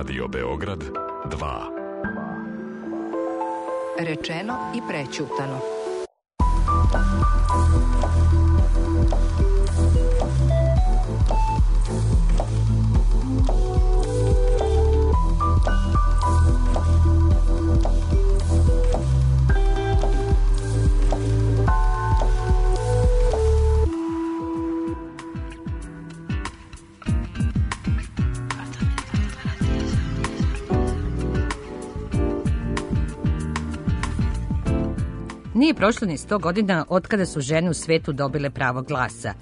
Radio Beograd 2. Rečeno i prećutano. Nije prošlo ni 100 godina od kada su žene u svetu dobile pravo glasa.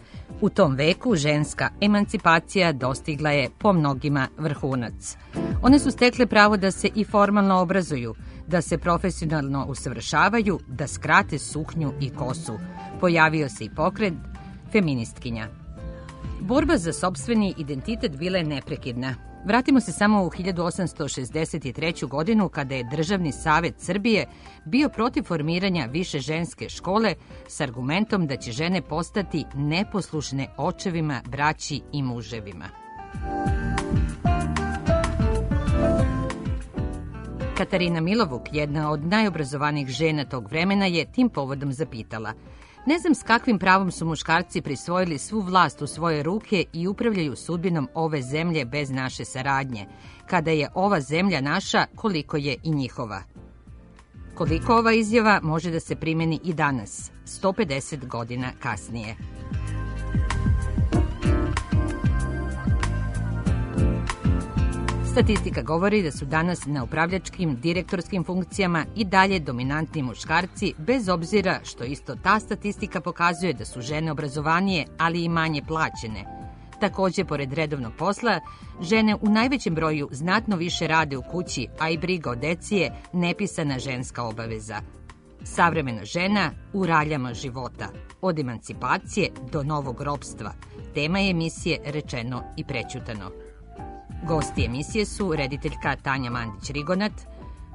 U tom veku ženska emancipacija dostigla je po mnogima vrhunac. One su stekle pravo da se i formalno obrazuju, da se profesionalno usavršavaju, da skrate suknju i kosu. Pojavio se i pokret feministkinja. Borba za sopstveni identitet bila je neprekidna. Vratimo se samo u 1863. godinu kada je Državni savet Srbije bio protiv formiranja više ženske škole s argumentom da će žene postati neposlušne očevima, braći i muževima. Katarina Milovuk, jedna od najobrazovanijih žena tog vremena, je tim povodom zapitala: ne znam s kakvim pravom su muškarci prisvojili svu vlast u svoje ruke i upravljaju sudbinom ove zemlje bez naše saradnje. Kada je ova zemlja naša, koliko je i njihova. Koliko ova izjava može da se primeni i danas, 150 godina kasnije. Statistika govori da su danas na upravljačkim, direktorskim funkcijama i dalje dominantni muškarci, bez obzira što isto ta statistika pokazuje da su žene obrazovanije, ali i manje plaćene. Takođe, pored redovnog posla, žene u najvećem broju znatno više rade u kući, a i briga o deci je nepisana ženska obaveza. Savremena žena u raljama života, od emancipacije do novog ropstva. Tema je emisije Rečeno i prećutano. Gosti emisije su rediteljka Tanja Mandić-Rigonat,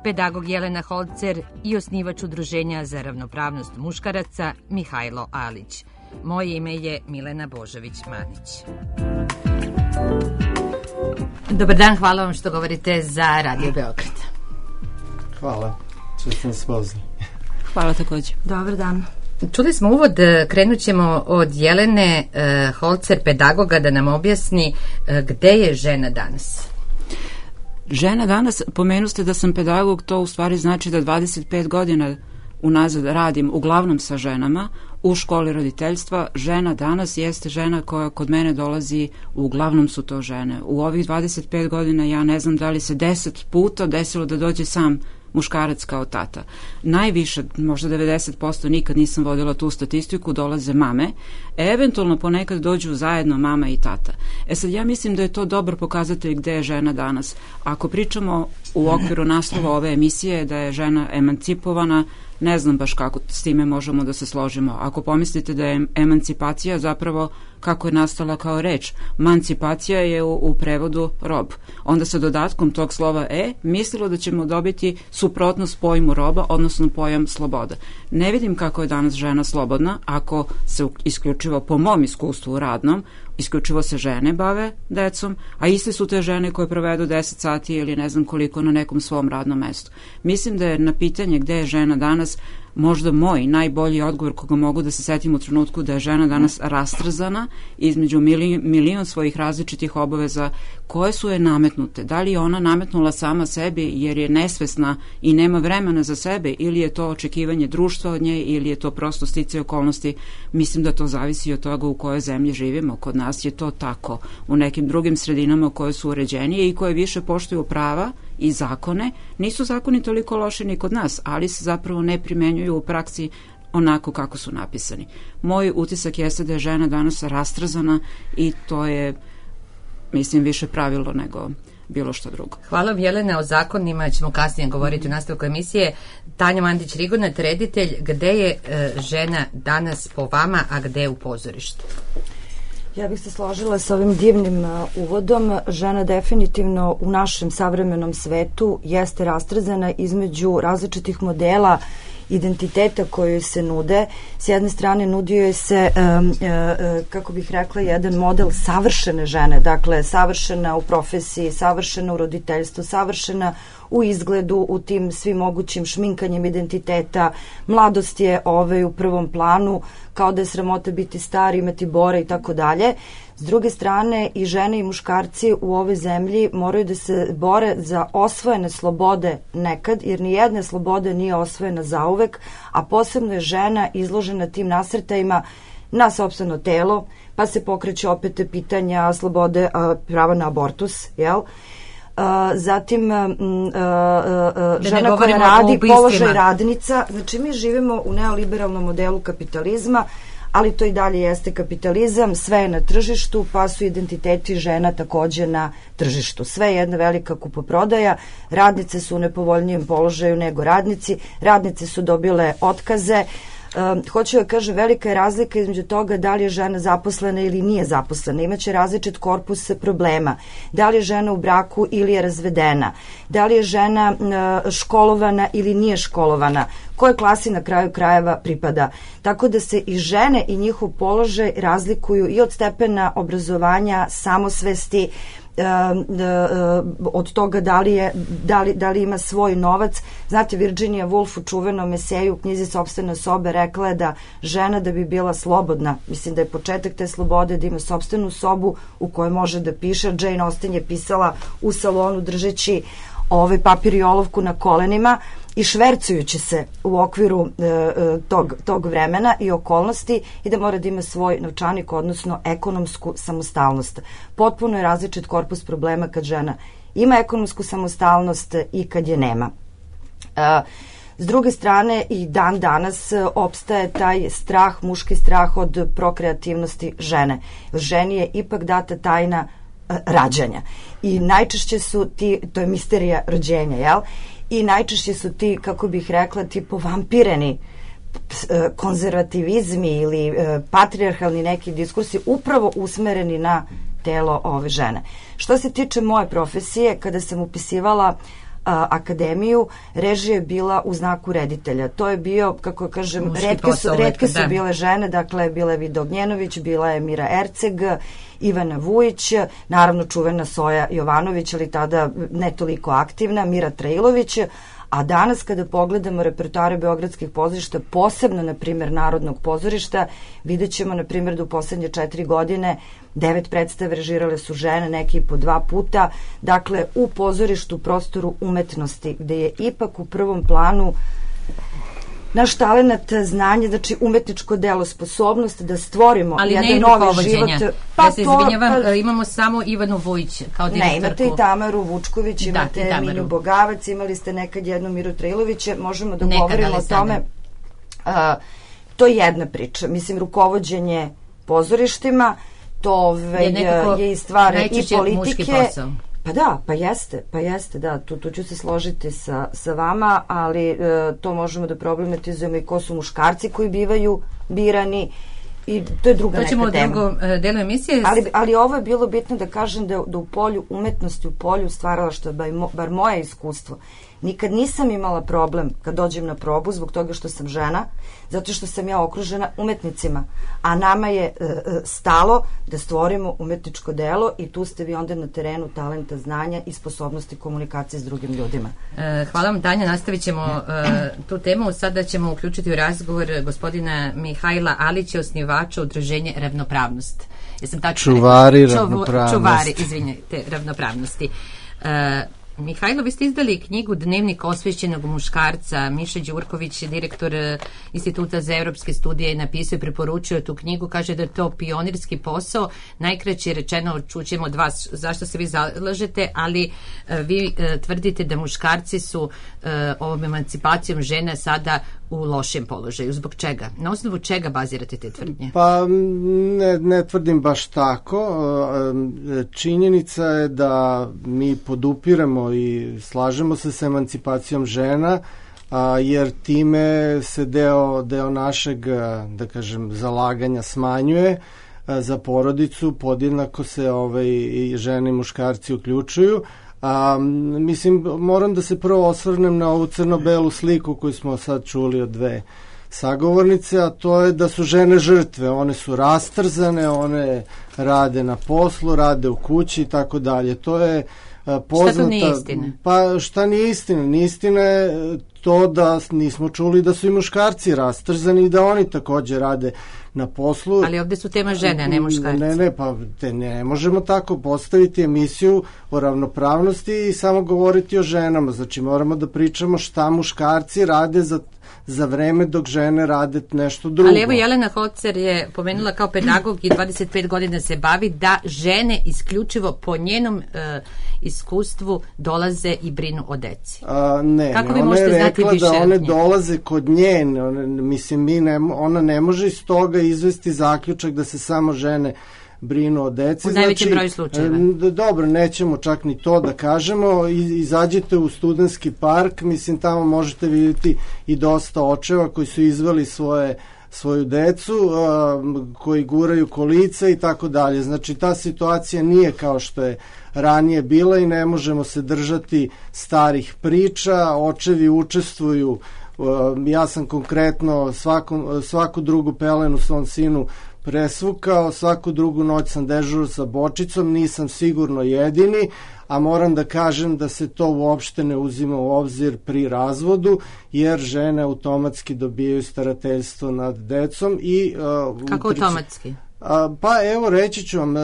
pedagog Jelena Holcer i osnivač Udruženja za ravnopravnost muškaraca Mihajlo Alić. Moje ime je Milena Božović-Manić. Dobar dan, hvala vam što govorite za Radio Beograd. Hvala, što ste nas pozvali. Hvala takođe. Dobar dan. Čuli smo uvod, krenut ćemo od Jelene Holcer, pedagoga, da nam objasni gde je žena danas. Žena danas, pomenuste da sam pedagog, to u stvari znači da 25 godina unazad radim uglavnom sa ženama u školi roditeljstva. Žena danas jeste žena koja kod mene dolazi, uglavnom su to žene. U ovih 25 godina ja ne znam da li se 10 puta desilo da dođe sam muškarac kao tata. Najviše, možda 90%, nikad nisam vodila tu statistiku, dolaze mame. Eventualno ponekad dođu zajedno mama i tata. Sad, ja mislim da je to dobar pokazatelj gde je žena danas. Ako pričamo u okviru naslova ove emisije da je žena emancipovana, ne znam baš kako s time možemo da se složimo. Ako pomislite da je emancipacija zapravo kako je nastala kao reč, mancipacija je u prevodu rob. Onda sa dodatkom tog slova mislilo da ćemo dobiti suprotnost pojmu roba, odnosno pojam sloboda. Ne vidim kako je danas žena slobodna ako se isključivo po mom iskustvu radnom, isključivo se žene bave decom, a iste su te žene koje provedu 10 sati ili ne znam koliko na nekom svom radnom mestu. Mislim da je na pitanje gde je žena danas možda moj najbolji odgovor koga mogu da se setim u trenutku da je žena danas rastrzana između milion svojih različitih obaveza koje su je nametnute. Da li je ona nametnula sama sebi jer je nesvesna i nema vremena za sebe, ili je to očekivanje društva od nje, ili je to prosto sticaj okolnosti. Mislim da to zavisi od toga u kojoj zemlji živimo. Kod nas je to tako. U nekim drugim sredinama koje su uređenije i koje više poštuju prava i zakone, nisu zakoni toliko loši ni kod nas, ali se zapravo ne primenjuju u praksi onako kako su napisani. Moj utisak jeste da je žena danas rastrzana i to je, mislim, više pravilo nego bilo što drugo. Hvala vam, Jelena. O zakonima ćemo kasnije govoriti u nastavku emisije. Tanja Mandić-Rigonat, reditelj, gde je žena danas po vama, a gde je u pozorištu? Ja bih se složila sa ovim divnim uvodom. Žena definitivno u našem savremenom svetu jeste rastrzana između različitih modela identiteta koje se nude. S jedne strane nudio je se, kako bih rekla, jedan model savršene žene, dakle savršena u profesiji, savršena u roditeljstvu, savršena u izgledu, u tim svim mogućim šminkanjem identiteta. Mladost je u prvom planu, kao da je sramota biti star, imati bore i tako dalje. S druge strane, i žene i muškarci u ovoj zemlji moraju da se bore za osvojene slobode nekad, jer ni jedna sloboda nije osvojena zauvek, a posebno je žena izložena tim nasrtajima na sopstveno telo, pa se pokreće opet pitanja slobode, prava na abortus, jel? Zatim žena koja radi, položaj radnica. Znači mi živimo u neoliberalnom modelu kapitalizma, ali to i dalje jeste kapitalizam, sve je na tržištu, pa su identiteti žena takođe na tržištu. Sve je jedna velika kupoprodaja, radnice su u nepovoljnijem položaju nego radnici, radnice su dobile otkaze. Hoću da kažem, velika je razlika između toga da li je žena zaposlena ili nije zaposlena. Imaće različit korpus problema. Da li je žena u braku ili je razvedena. Da li je žena školovana ili nije školovana. Koje klasi na kraju krajeva pripada. Tako da se i žene i njihov položaj razlikuju i od stepena obrazovanja, samosvesti, od toga da li ima svoj novac. Znate, Virginia Woolf u čuvenom eseju u knjizi Sopstvene sobe rekla je da žena da bi bila slobodna, mislim da je početak te slobode da ima sopstvenu sobu u kojoj može da piše. Jane Austen je pisala u salonu držeći papir i olovku na kolenima i švercujući se u okviru tog vremena i okolnosti, i da mora da ima svoj novčanik, odnosno ekonomsku samostalnost. Potpuno je različit korpus problema kad žena ima ekonomsku samostalnost i kad je nema. S druge strane, i dan danas opstaje taj strah, muški strah od prokreativnosti žene. Ženi je ipak data tajna rađanja. I najčešće su to je misterija rođenja, jel? I najčešće su ti, kako bih rekla, ti povampireni konzervativizmi ili patrijarhalni neki diskursi upravo usmereni na telo ove žene. Što se tiče moje profesije, kada sam upisivala akademiju, režija je bila u znaku reditelja. To je bio, kako kažem, retke su bile žene, dakle bila je Vida Ognjenović, bila je Mira Erceg, Ivana Vujić, naravno čuvena Soja Jovanović, ali tada ne toliko aktivna, Mira Trailović, a danas kada pogledamo repertoare beogradskih pozorišta, posebno, na primjer, Narodnog pozorišta, vidjet ćemo, na primjer, da u poslednje 4 godine 9 predstave režirale su žene, neki po 2 puta, dakle, u pozorištu, prostoru umetnosti, gde je ipak u prvom planu naš talenat, znanje, znači umetničko delo, sposobnost da stvorimo jedan novi život. Ja se izvinjavam, imamo samo Ivanu Vujić kao direktorku. Ne, imate i Tamaru Vučković, imate Minju Bogavac, imali ste nekad jednu Miru Trailovića, možemo da govorimo o tome. To je jedna priča. Mislim, rukovođenje pozorištima, to je i stvar i politike. Pa jeste, da, tu ću se složiti sa vama, ali to možemo da problematizujemo i ko su muškarci koji bivaju birani, i to je druga neka tema. To ćemo u drugom delu emisije. Ali ovo je bilo bitno da kažem da u polju umetnosti, u polju stvaralaštva, bar moje iskustvo, nikad nisam imala problem kad dođem na probu zbog toga što sam žena, zato što sam ja okružena umetnicima, a nama je stalo da stvorimo umetničko delo, i tu ste vi onda na terenu talenta, znanja i sposobnosti komunikacije s drugim ljudima. Hvala vam, Tanja, nastavit ćemo tu temu. Sada ćemo uključiti u razgovor gospodina Mihajla Alića, osnivača udruženja Ravnopravnost. Čuvari ravnopravnosti. Čuvari, izvinjajte, ravnopravnosti. Mihajlo, vi ste izdali knjigu Dnevnik osvešćenog muškarca. Miša Đurković, direktor Instituta za evropske studije, je napisao i preporučio tu knjigu. Kaže da je to pionirski posao. Najkraće rečeno, čućemo od vas zašto se vi zalažete, ali vi tvrdite da muškarci su ovom emancipacijom žena sada u lošem položaju. Zbog čega? Na osnovu čega bazirate te tvrdnje? Pa ne tvrdim baš tako. Činjenica je da mi podupiramo i slažemo se sa emancipacijom žena, jer time se deo našeg, da kažem, zalaganja smanjuje za porodicu, podjednako se i žene i muškarci uključuju, Mislim, moram da se prvo osvrnem na ovu crno-belu sliku koju smo sad čuli od dve sagovornice, a to je da su žene žrtve. One su rastrzane, one rade na poslu, rade u kući i tako dalje. To je poznata... Šta to nije istina? Pa šta nije istina? Nije istina je to da nismo čuli da su i muškarci rastrzani i da oni takođe rade na poslu. Ali ovde su tema žene, a ne muškarci. Pa ne možemo tako postaviti emisiju o ravnopravnosti i samo govoriti o ženama. Znači moramo da pričamo šta muškarci rade za vreme dok žene rade nešto drugo. Ali evo Jelena Hocer je pomenula kao pedagog i 25 godina se bavi da žene isključivo po njenom iskustvu dolaze i brinu o deci. Kako vi možete znati više? Da one dolaze kod nje, mislim, ona ne može iz toga izvesti zaključak da se samo žene brinu o deci. U najvećem broju slučajeva. Dobro, nećemo čak ni to da kažemo. Izađite u Studentski park, mislim, tamo možete vidjeti i dosta očeva koji su izveli svoju decu, koji guraju kolica i tako dalje. Znači, ta situacija nije kao što je ranije bila i ne možemo se držati starih priča. Očevi učestvuju. Ja sam konkretno svaku drugu pelenu svom sinu presvukao, svaku drugu noć sam dežurao sa bočicom, nisam sigurno jedini, a moram da kažem da se to uopšte ne uzima u obzir pri razvodu, jer žene automatski dobijaju starateljstvo nad decom. Kako automatski? Pa evo, reći ću vam,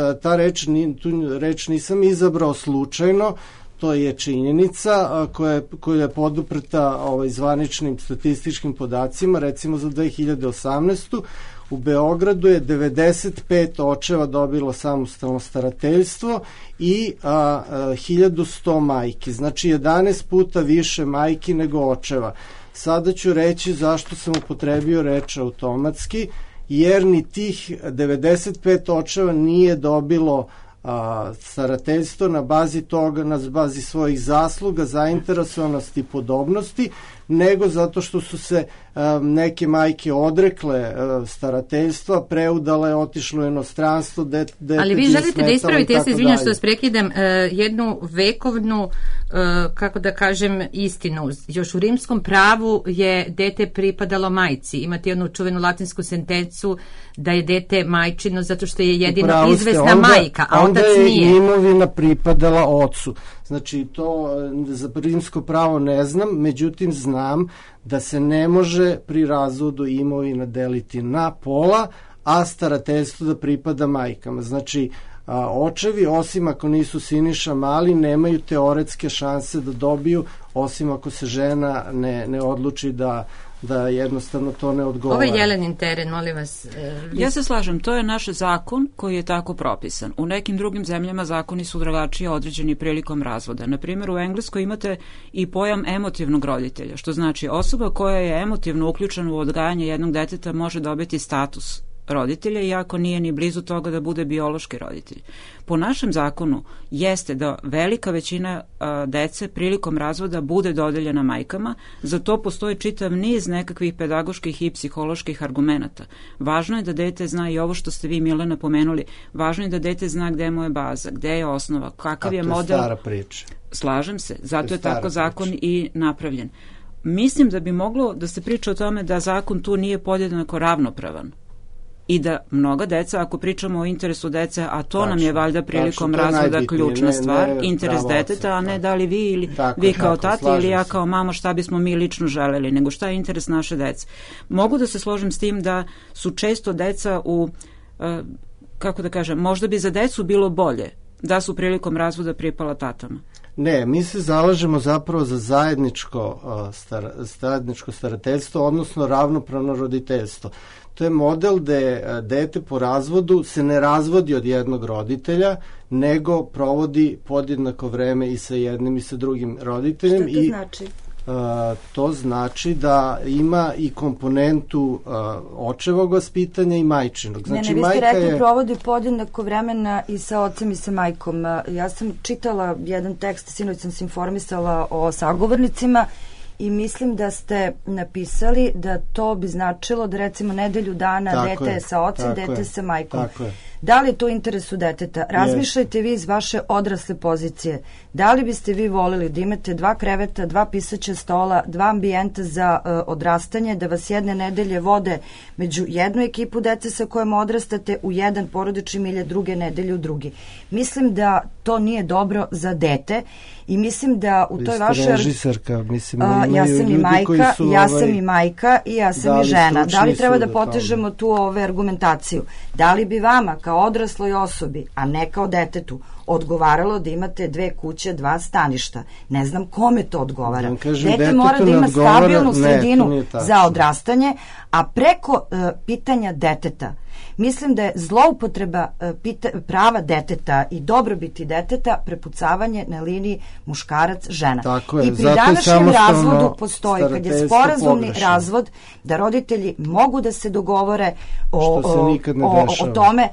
tu reč nisam izabrao slučajno, to je činjenica koja je poduprta zvaničnim statističkim podacima. Recimo za 2018. u Beogradu je 95 očeva dobilo samostalno starateljstvo i 1100 majki. Znači 11 puta više majki nego očeva. Sada ću reći zašto sam upotrebio reč automatski, jer ni tih 95 očeva nije dobilo starateljstvo na bazi toga, na bazi svojih zasluga, zainteresovanosti i podobnosti, nego zato što su se neke majke odrekle starateljstva, preudale, otišle u inostranstvo, ali vi želite da ispravite, ja se izvinjam što vas prekidam, jednu vekovnu, kako da kažem, istinu. Još u rimskom pravu je dete pripadalo majci. Imate jednu čuvenu latinsku sentencu da je dete majčino zato što je jedino izvesna majka, a otac nije. Onda je imovina pripadala ocu. Znači, to za rimsko pravo ne znam, međutim znam da se ne može pri razvodu imovina deliti na pola, a starateljstvo da pripada majkama. Znači, očevi, osim ako nisu Siniša Mali, nemaju teoretske šanse da dobiju, osim ako se žena ne odluči da jednostavno to ne odgovara. Ovo je Jelenin teren, molim vas. Ja se slažem, to je naš zakon koji je tako propisan. U nekim drugim zemljama zakoni su drugačije određeni prilikom razvoda. Na primjer, u Engleskoj imate i pojam emotivnog roditelja, što znači osoba koja je emotivno uključena u odgajanje jednog deteta može dobiti status roditelja, iako nije ni blizu toga da bude biološki roditelj. Po našem zakonu jeste da velika većina dece prilikom razvoda bude dodeljena majkama, za to postoji čitav niz nekakvih pedagoških i psiholoških argumenata. Važno je da dete zna i ovo što ste vi, Milena, pomenuli, važno je da dete zna gde mu je baza, gde je osnova, kakav je model. A to je stara priča. Slažem se, zato je tako zakon i napravljen. Mislim da bi moglo da se priča o tome da zakon tu nije podjednako ravnopravan. I da mnoga deca, ako pričamo o interesu dece, a to nam je valjda prilikom razvoda ključna stvar, interes deteta, a ne da li vi ili vi kao tati ili ja kao mama šta bismo mi lično želeli, nego šta je interes naše dece. Mogu da se složim s tim da su često deca u, kako da kažem, možda bi za decu bilo bolje da su prilikom razvoda pripala tatama. Ne, mi se zalažemo zapravo za zajedničko starateljstvo, odnosno ravnopravno roditeljstvo. To je model gde dete po razvodu se ne razvodi od jednog roditelja, nego provodi podjednako vreme i sa jednim i sa drugim roditeljem. Šta to znači? To znači da ima i komponentu očevog vaspitanja i majčinog. Znači, vi ste rekli provodi podjednako vremena i sa ocem i sa majkom. Ja sam čitala jedan tekst, sinoć sam se informisala o sagovornicima i mislim da ste napisali da to bi značilo da recimo nedelju dana dete je sa ocem, dete sa majkom. Da li je to u interesu deteta? Razmišljajte vi iz vaše odrasle pozicije. Da li biste vi volili da imate 2 kreveta, 2 pisaća stola, 2 ambijenta za odrastanje, da vas jedne nedelje vode među jednu ekipu dece sa kojom odrastate u jedan porodični milje, druge nedelje u drugi. Mislim da to nije dobro za dete i mislim da u toj vašoj... Vi ste režisarka, mislim, ja sam i majka, ja sam i majka i ja sam i žena. Da li treba da potežemo tu argumentaciju? Da li bi vama kao odrasloj osobi, a ne kao detetu, odgovaralo da imate 2 kuće, 2 staništa? Ne znam kome to odgovara. Dete mora da ima stabilnu sredinu za odrastanje, a preko pitanja deteta mislim da je zloupotreba prava deteta i dobrobiti deteta prepucavanje na liniji muškarac-žena. I pri današnjem razvodu postoji, kad je sporazumni razvod, da roditelji mogu da se dogovore o tome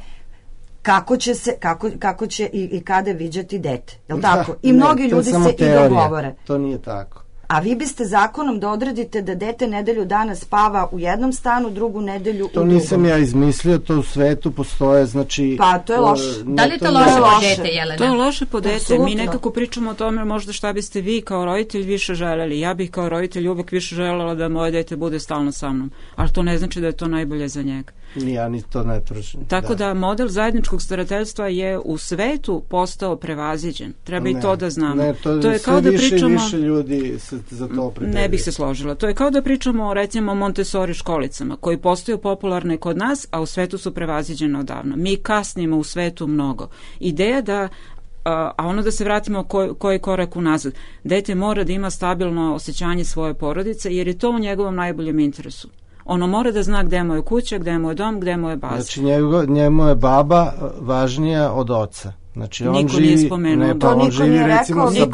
kako će i kada viđati dete. Jel tako? I mnogi ljudi se i dogovore. To nije tako. A vi biste zakonom da odredite da dete nedelju dana spava u jednom stanu, drugu nedelju u drugom. To nisam ja izmislio, to u svetu postoje, znači... Pa, to je loše. Da li je to loše po dete, Jelena? To je loše po dete. Mi nekako pričamo o tome možda šta biste vi kao roditelj više želeli. Ja bih kao roditelj uvek više želela da moje dete bude stalno sa mnom. Ali to ne znači da je to najbolje za njega. Ja ni to ne tvrdim. Tako da model zajedničkog starateljstva je u svetu postao prevaziđen. Treba i to da znamo. Ne, to je kao da pričamo... više ljudi se za to opredeljuju. Ne bih se složila. To je kao da pričamo recimo o Montessori školicama, koji postaju popularne kod nas, a u svetu su prevaziđene odavno. Mi kasnimo u svetu mnogo. Ideja da a ono da se vratimo koji korak unazad. Dete mora da ima stabilno osjećanje svoje porodice, jer je to u njegovom najboljem interesu. Ono mora da zna gde mu je kuća, gde mu je dom, gde mu je baza. Znači njemu je baba važnija od oca. Znači on živi, nije spomenuo. On živi recimo sa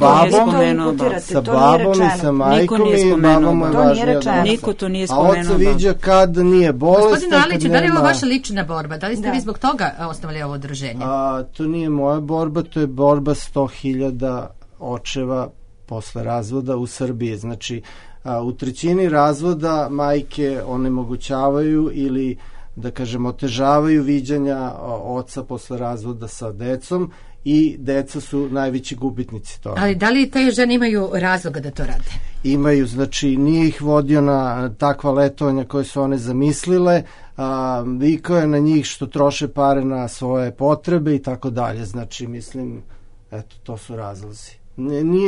babom i sa majkom i baba mu je važnija od oca. Niko to nije spomenuo. A oca viđa kad nije bolestan. Gospodine Aliću, da li je ovo vaša lična borba? Da li ste vi zbog toga osnovali ovo udruženje? To nije moja borba, to je borba 100.000 očeva posle razvoda u Srbiji. Znači u trećini razvoda majke onemogućavaju ili da kažem otežavaju viđanja oca posle razvoda sa decom i deca su najveći gubitnici toga. Ali da li te žene imaju razloga da to rade? Imaju, znači nije ih vodio na takva letovanja koje su one zamislile, vikao je na njih što troše pare na svoje potrebe i tako dalje. Znači mislim, eto, to su razlozi.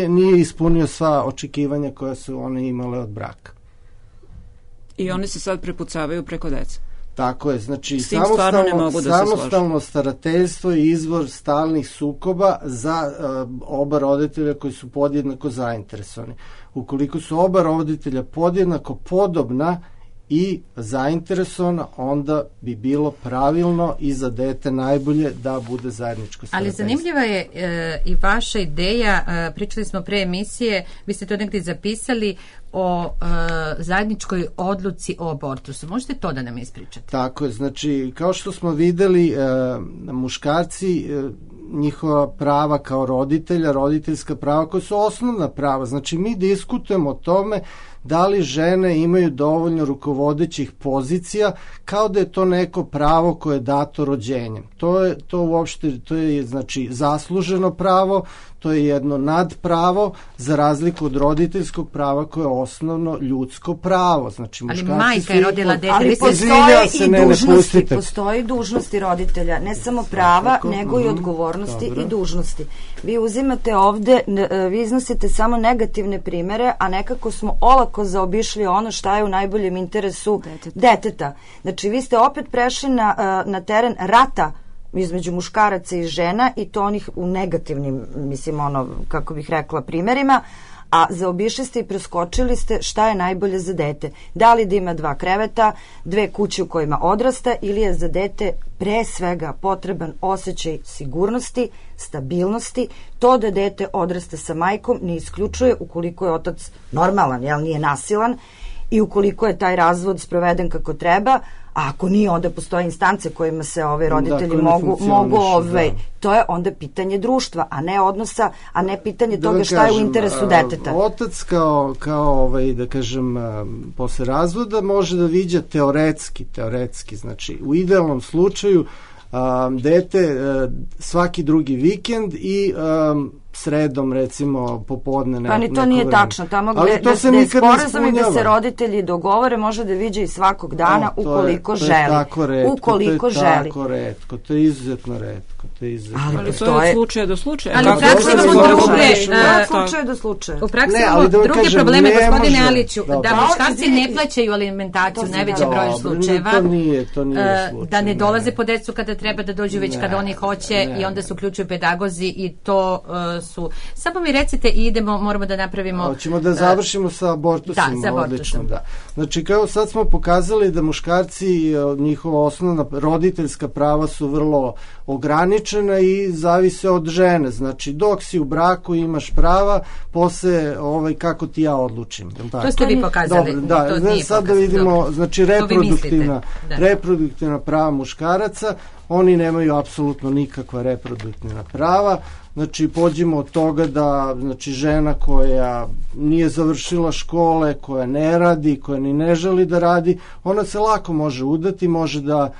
Nije ispunio sva očekivanja koja su one imale od braka. I one se sad prepucavaju preko deca. Tako je, znači samostalno starateljstvo je izvor stalnih sukoba za oba roditelja koji su podjednako zainteresovani. Ukoliko su oba roditelja podjednako podobna i zainteresovana, onda bi bilo pravilno i za dete najbolje da bude zajedničko starateljstvo. Ali zanimljiva je i vaša ideja, pričali smo pre emisije, vi ste to negdje zapisali, o zajedničkoj odluci o abortusu. Možete to da nam ispričate? Tako je, znači kao što smo videli, muškarci, njihova prava kao roditelja, roditeljska prava koja su osnovna prava, znači mi diskutujemo o tome da li žene imaju dovoljno rukovodećih pozicija, kao da je to neko pravo koje je dato rođenjem. To je znači zasluženo pravo, to je jedno nadpravo za razliku od roditeljskog prava koje je osnovno ljudsko pravo. Znači, ali majka je rodila dete. Ali postoje i dužnosti roditelja, ne samo prava, nego i odgovornosti i dužnosti. Vi uzimate ovde, vi iznosite samo negativne primere, a nekako smo olako zaobišli ono šta je u najboljem interesu deteta. Znači, vi ste opet prešli na teren rata između muškaraca i žena i to onih u negativnim, mislim, kako bih rekla, primerima, a zaobišli ste i preskočili ste šta je najbolje za dete. Da li da ima 2 kreveta, 2 kuće u kojima odrasta ili je za dete pre svega potreban osjećaj sigurnosti, stabilnosti. To da dete odrasta sa majkom ne isključuje ukoliko je otac normalan, nije nasilan, i ukoliko je taj razvod sproveden kako treba, a ako nije, onda postoje instance kojima se roditelji mogu to je onda pitanje društva, a ne odnosa, a ne pitanje toga šta je u interesu deteta. Otac kao da kažem, posle razvoda može da viđa teoretski, znači u idealnom slučaju dete svaki drugi vikend i sredom recimo popodne neko vreme. Pa ni to nije tačno, tamo gde da je sporazum i da se roditelji dogovore može da viđe i svakog dana ukoliko želi. Ukoliko želi. To je tako retko, to je izuzetno retko. Ali to je od slučaja do slučaja. Ali u praksi imamo U praksi imamo druge probleme, gospodine Aliću, da muškarci ne plaćaju alimentaciju u najvećem broju slučajeva. To nije slučaj. Da ne dolaze po decu kada treba da dođu, već kada oni hoće i onda se uključuju pedagozi i to su... Samo mi recite i idemo, moramo da napravimo... Hoćemo da završimo sa abortusima. Da, sa abortusom. Znači, kao sad smo pokazali da muškarci, njihova osnovna roditeljska prava su vrlo ograničena i zavise od žene. Znači, dok si u braku imaš prava, posle kako ti ja odlučim. To ste vi pokazali. Dobro, da, sad da vidimo, znači, reproduktivna prava muškaraca, oni nemaju apsolutno nikakva reproduktivna prava. Znači, pođimo od toga da žena koja nije završila škole, koja ne radi, koja ni ne želi da radi, ona se lako može udati, može da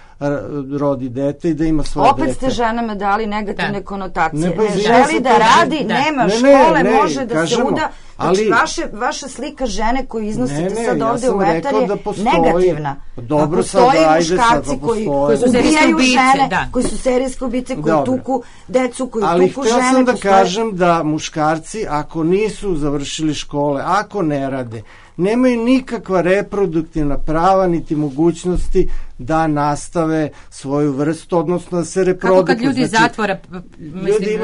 rodi dete i da ima svoje dete. Opet ste ženama dali negativne konotacije. Ne želi da radi, nema škole, može da se uda. Znači, vaša slika žene koju iznosite sad ovde u etar je negativna. Dobro, postoje muškarci koji ubijaju žene, koji su serijske ubice, koji tuku decu, koji tuku žene. Ali htio sam da kažem da muškarci, ako nisu završili škole, ako ne rade, nemaju nikakva reproduktivna prava niti mogućnosti da nastave svoju vrstu, odnosno da se reprodukuju. Kako kad ljudi zatvora, ljudi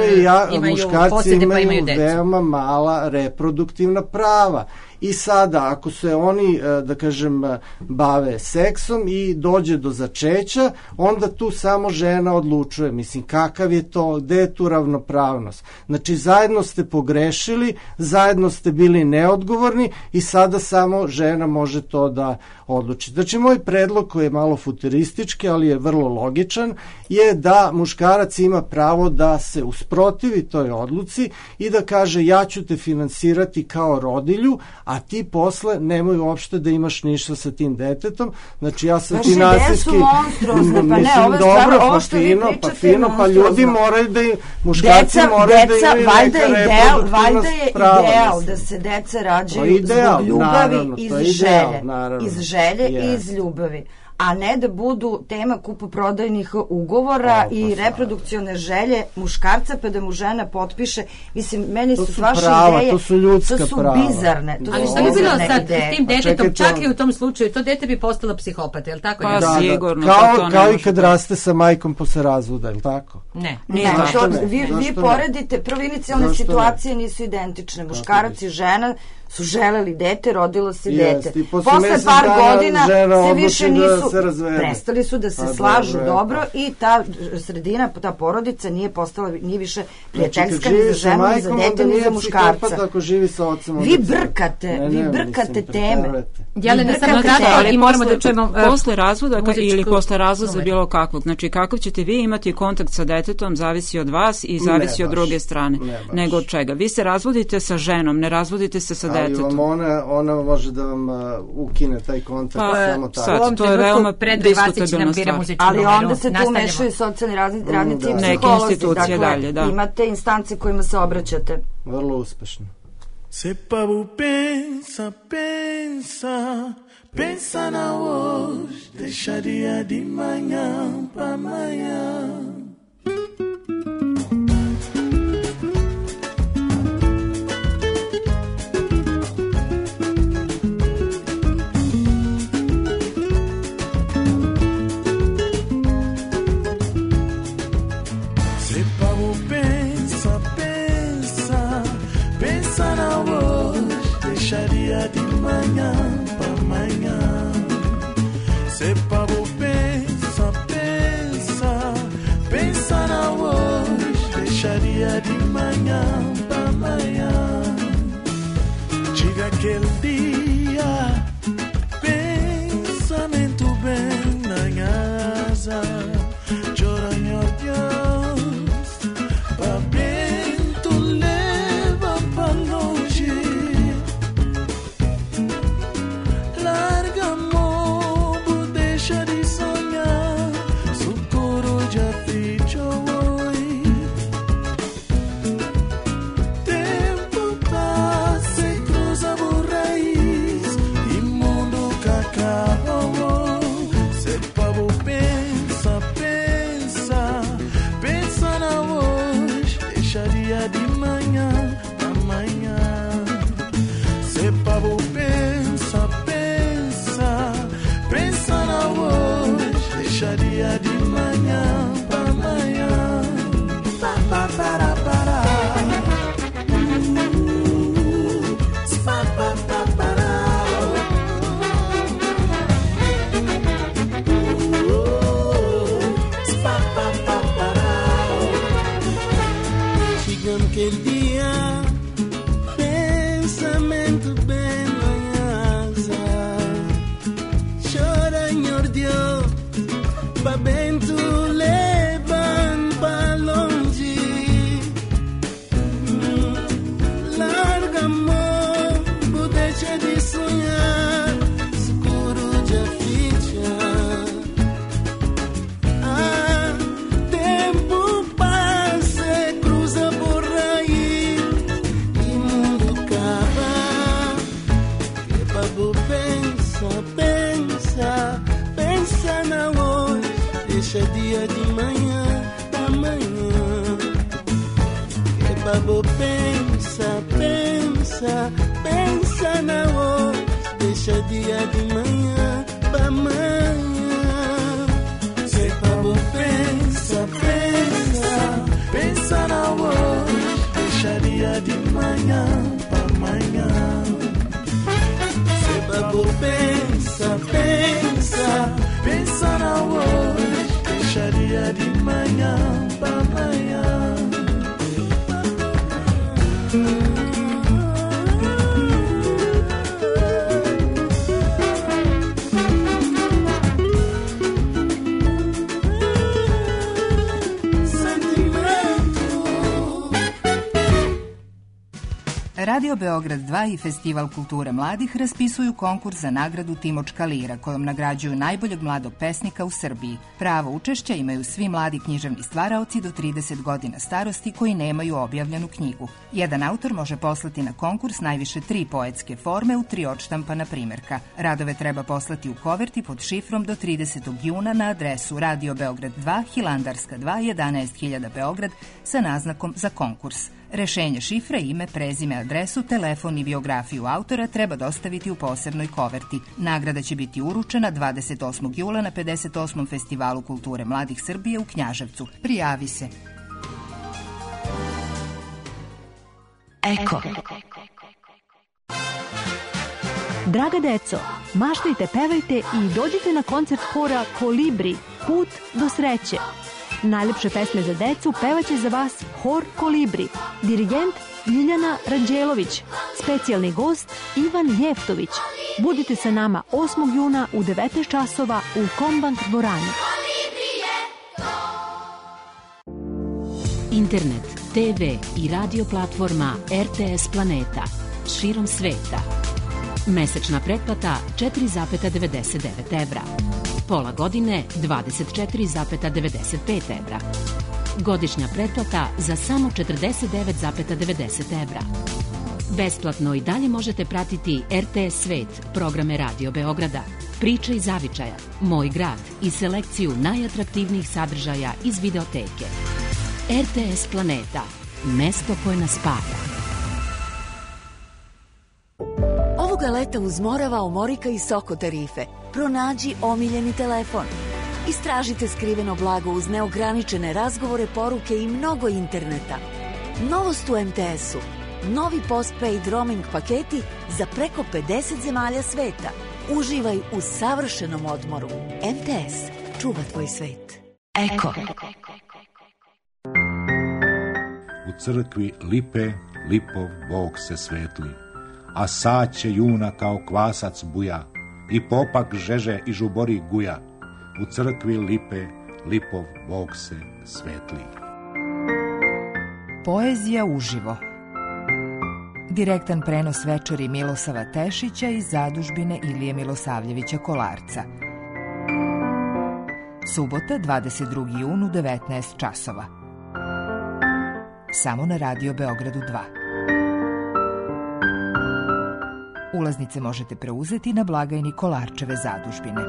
muškarci imaju veoma mala reproduktivna prava. I sada, ako se oni, da kažem, bave seksom i dođe do začeća, onda tu samo žena odlučuje. Mislim, kakav je to, gde je tu ravnopravnost? Znači, zajedno ste pogrešili, zajedno ste bili neodgovorni i sada samo žena može to da odluči. Znači, moj predlog koji je malo futuristički, ali je vrlo logičan, je da muškarac ima pravo da se usprotivi toj odluci i da kaže ja ću te finansirati kao rodilju, a ti posle nemoj uopšte da imaš ništa sa tim detetom. Znači ja sam finansijski... Mislim, dobro, pa fino, pa ljudi moraju da muškarci moraju da imaju neka reproduktivna prava. Valjda je ideal da se deca rađaju zbog ljubavi iz želje i iz ljubavi, a ne da budu tema kupoprodajnih ugovora i reprodukcione želje muškarca, pa da mu žena potpiše. Mislim, meni su vaše ideje, to su ljudska prava. To su bizarne. Ali što bi bilo sad s tim detetom, čak i u tom slučaju, to dete bi postalo psihopata, je li tako? Pa sigurno. Kao i kad raste sa majkom posle razvoda, je li tako? Ne. Vi poredite, prvo inicijalne situacije nisu identične. Muškarac i žena su želeli dete, rodilo se dete. Posle par godina se više nisu, prestali su da se slažu dobro i ta sredina, ta porodica nije više prijateljska ni za ženu, ni za dete, ni za muškarca. Vi brkate teme. Jelena, samo kratko i moramo da čujemo... Posle razvoda ili posle razvoda bilo kakvog, znači kakav ćete vi imati kontakt sa detetom, zavisi od vas i zavisi od druge strane. Nego od čega? Vi se razvodite sa ženom, ne razvodite se sa detetom. Ona može da vam ukine taj kontakt samo tako. Sad, to je veoma diskutabilna stvar. Ali onda se tu mešaju socijalni radnici i psiholozi. Dakle, imate instance kojima se obraćate. Vrlo uspešno. Se pa bu pensa na hoje, deixaria de manhã pra amanhã. Deixaria de manhã pra amanhã. Se pavo pensa na hoje. Deixaria de manhã pra amanhã. Chega aquele dia, pensamento bem na asa. Chora meu Deus, pra vento leva pra longe. Larga amor, deixa de sonhar. Socorro já ficha, ficha. Ah, tempo passa, cruza por aí e mundo acaba. Que babo pensa, pensa, pensa na hoje, deixa dia de manhã, amanhã. Que babo pensa, pensa, pensa na hoje, deixa dia de manhã pra amanhã. Se babo pensa, pensa, pensa na hoje, deixa dia de manhã pra amanhã. Se babo pensa, pensa, pensa na hoje, deixa dia de manhã pra amanhã. Radio Beograd 2 i Festival kulture mladih raspisuju konkurs za nagradu Timočka lira, kojom nagrađuju najboljeg mladog pesnika u Srbiji. Pravo učešća imaju svi mladi književni stvaraoci do 30 godina starosti koji nemaju objavljenu knjigu. Jedan autor može poslati na konkurs najviše 3 poetske forme u 3 odštampana primjerka. Radove treba poslati u koverti pod šifrom do 30. juna na adresu Radio Beograd 2, Hilandarska 2, 11.000 Beograd sa naznakom za konkurs. Rešenje šifre, ime, prezime, adresu, telefon i biografiju autora treba dostaviti u posebnoj koverti. Nagrada će biti uručena 28. jula na 58. Festivalu kulture mladih Srbije u Knjaževcu. Prijavi se. Eko. Draga deco, maštajte, pevajte i dođite na koncert hora Kolibri, Put do sreće. Najlepše pesme za decu pevaće za vas Hor Kolibri, dirigent Ljiljana Ranđelović, specijalni gost Ivan Jeftović. Budite sa nama 8. juna u 19 časova u Kombank dvorani. Internet, TV i radio platforma RTS Planeta širom sveta. Mesečna pretplata 4,99 evra. Pola godine 24,95 evra. Godišnja pretplata za samo 49,90 evra. Besplatno i dalje možete pratiti RTS Svet, programe Radio Beograda, Priče iz zavičaja, Moj grad i selekciju najatraktivnijih sadržaja iz videoteke. RTS Planeta, mesto koje nas spaja. Ovoga leta uz Morava, Omorika i Soko tarife. Pronađi omiljeni telefon. Istražite skriveno blago uz neograničene razgovore, poruke i mnogo interneta. Novost u MTS-u. Novi postpaid roaming paketi za preko 50 zemalja sveta. Uživaj u savršenom odmoru. MTS. Čuva tvoj svet. Eko. U crkvi lipe, lipov Bog se svetli, a saće juna kao kvasac buja, i popak žeže i žubori guja. U crkvi lipe, lipov Bog se svetli. Poezija uživo. Direktan prenos večeri Milosava Tešića iz zadužbine Ilije Milosavljevića Kolarca. Subota, 22. jun u 19 časova. Samo na Radio Beogradu 2. Ulaznice možete preuzeti na blagajni Kolarčeve zadužbine.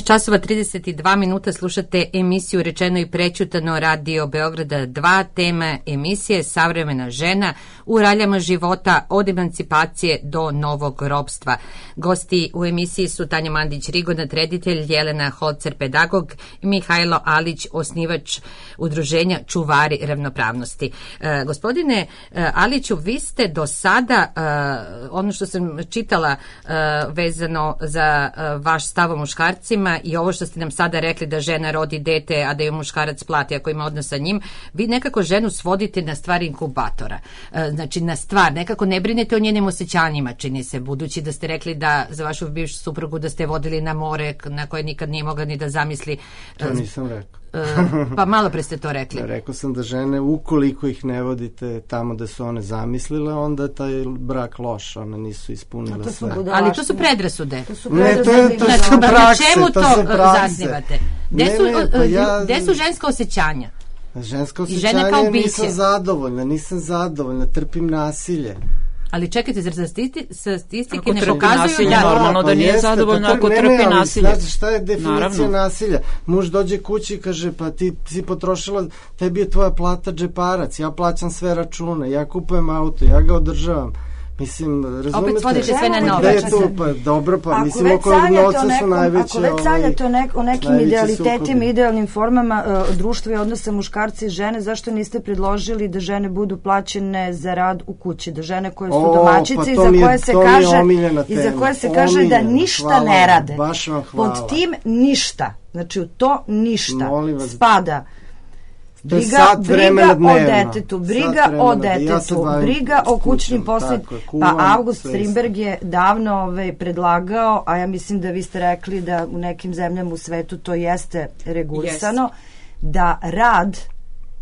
časova 32 minuta slušate emisiju Rečeno i prećutano Radio Beograda 2. Tema emisije Savremena žena u raljama života od emancipacije do novog ropstva. Gosti u emisiji su Tanja Mandić-Rigonat, reditelj, Jelena Holcer, pedagog, i Mihajlo Alić, osnivač udruženja Čuvari ravnopravnosti. Gospodine Aliću, vi ste do sada, ono što sam čitala vezano za vaš stav o muškarcima i ovo što ste nam sada rekli da žena rodi dete, a da ju muškarac plati ako ima odnos sa njim, vi nekako ženu svodite na stvar inkubatora. Znači na stvar, nekako ne brinete o njenim osjećanjima, čini se, budući da ste rekli da za vašu bivšu suprugu da ste vodili na more na koje nikad nije mogla ni da zamisli. To nisam rekao. Pa malo pre ste to rekli. Rekao sam da žene, ukoliko ih ne vodite tamo da su one zamislile, onda je taj brak loš, one nisu ispunile sve. Ali to su predrasude. Ne, to su prakse. Čemu to zasnivate? Gde su ženska osjećanja? Ženska osjećanja nisam zadovoljna, trpim nasilje. Ali čekajte, zar statistike ne pokazuju da... Normalno da nije zadovoljno ako trpi nasilje. Znači, šta je definicija nasilja? Muž dođe kući i kaže, pa ti si potrošila, tebi je tvoja plata džeparac, ja plaćam sve račune, ja kupujem auto, ja ga održavam. Mislim, razumete? Opet svodite sve na novac. Dobro, pa mislim, oko novca su najveće... Ako već sanjate o nekim idealitetima, idealnim formama društva i odnosa muškarca i žene, zašto niste predložili da žene budu plaćene za rad u kući? Da žene koje su domaćice i za koje se kaže da ništa ne rade. Pod tim ništa, znači u to ništa spada briga o detetu, briga o kućnim poslovima. Pa August Strindberg je davno predlagao, a ja mislim da vi ste rekli da u nekim zemljama u svetu to jeste regulisano, da rad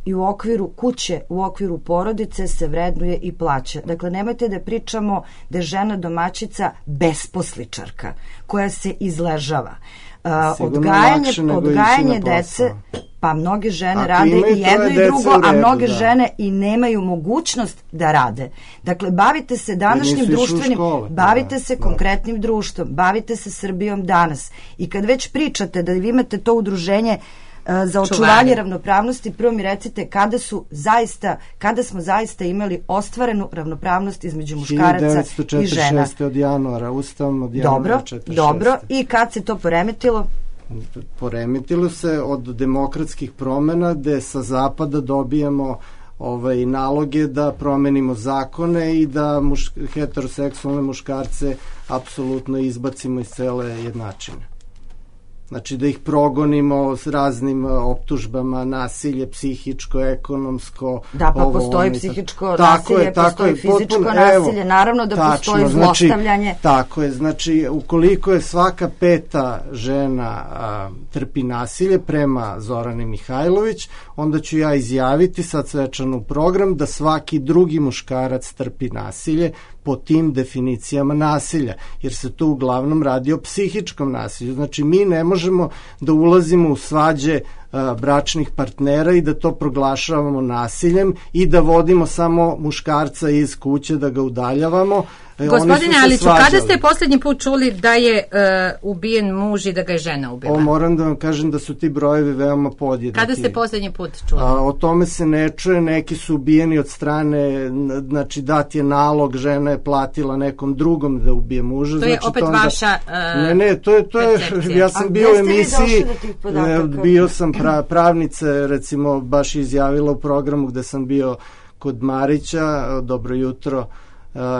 i u okviru kuće, u okviru porodice se vrednuje i plaća. Dakle, nemojte da pričamo da je žena domaćica besposličarka koja se izležava. Odgajanje dece, pa mnoge žene rade i jedno i drugo, a mnoge žene i nemaju mogućnost da rade. Dakle, bavite se današnjim društvenim, bavite se konkretnim društvom, bavite se Srbijom danas. I kad već pričate da vi imate to udruženje za očuvanje ravnopravnosti, prvo mi recite kada smo zaista imali ostvarenu ravnopravnost između muškaraca i žena. 1946. od januara, Ustavom od januara 1946. Dobro, i kad se to poremetilo? Poremetilo se od demokratskih promena gde sa zapada dobijamo naloge da promenimo zakone i da heteroseksualne muškarce apsolutno izbacimo iz cele jednačine. Znači da ih progonimo s raznim optužbama, nasilje, psihičko, ekonomsko. Da, pa postoji psihičko nasilje, postoji fizičko nasilje, naravno da postoji zlostavljanje. Tako je, znači ukoliko je svaka peta žena trpi nasilje prema Zorani Mihajlović, onda ću ja izjaviti sad svečano u program da svaki drugi muškarac trpi nasilje po tim definicijama nasilja, jer se tu uglavnom radi o psihičkom nasilju. Znači, mi ne možemo da ulazimo u svađe bračnih partnera i da to proglašavamo nasiljem i da vodimo samo muškarca iz kuće, da ga udaljavamo. Gospodine Aliću, kada ste poslednji put čuli da je ubijen muž i da ga je žena ubila? Moram da vam kažem da su ti brojevi veoma podjednaki. Kada ste poslednji put čuli? O tome se ne čuje, neki su ubijeni od strane, znači dat je nalog, žena je platila nekom drugom da ubije muža. To je opet vaša to je, ja sam bio u emisiji, bio sam pravnice, recimo, baš izjavila u programu gde sam bio kod Marića, dobro jutro,